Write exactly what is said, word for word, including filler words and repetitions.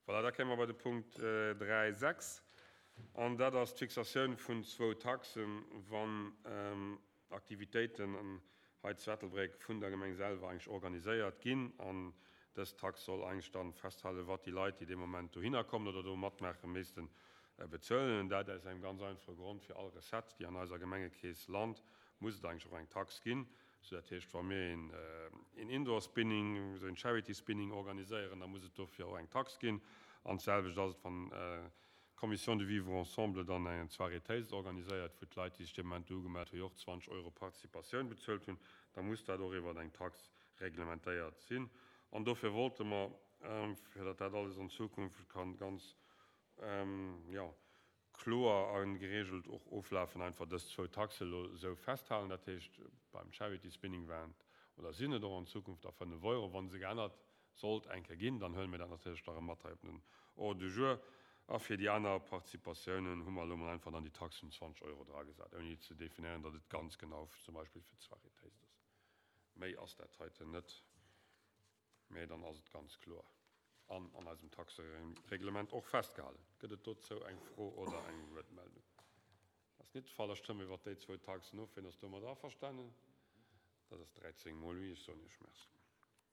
Voilà, da kéime mer bei de Punkt dräi sechs, an dat ass d'Fixatioun vun zwou Taxen, wann Aktivitéiten hei zu Ettelbréck vun der Gemeng selwer eigentlech organiséiert ginn. An dës Tax soll eigentlech dann festhalen, wat déi Leit, déi dee Moment dohinner kommen oder do matmaachen, missten bezuelen. Dat aus engem ganz einfache Grond, Fir all Recette, déi an eiser Gemengekeess lant, muss et eigentlech och eng Tax ginn. Sou dat heescht, wa mir een Indoor Spinning, esou een Charity Spinning organiséieren, da muss et dofir och eng Tax ginn. An d'selwecht ass et, wann d'Commission du Vivre ensemble dann eng Soirée Taste organiséiert, wou d'Leit, déi sech dee Moment do ugemellt hunn, jo och zwanzeg Euro Participatioun bezuelt hunn, da muss dat och iwwer eng Tax reglementéiert sinn. An dofir wollte mer, fir datt dat alles an Zukunft kann ganz, jo, kloer a geregelt och oflafen, einfach dës zwou Taxe elo esou festhalen. Dat heescht, beim Charity Spinning waren et oder sinn et och an Zukunft da fënnef Euro. Wa se geännert sollt eng Kéier ginn, dann huele mir dat natierlech da erëm mat hei op den Ordre du jour. A fir déi aner Participatiounen hu mer elo mol einfach dann déi Taxe vun zwanzeg Euro dragesat, ouni ze definéieren, datt et ganz genau zum Beispill fir d'Soirée Taste ass. Méi ass dat heiten net, mä dann ass et ganz kloer an an eisem Taxereglement och festgehalen. Gëtt et dozou eng Fro oder eng Wuertmeldung? Dat ass net de Fall. Da stëmme mer iwwert déi zwou Taxen of. Wien ass domat averstanen? Dat ass dräizéng mol oui. Ech soen Iech Merci.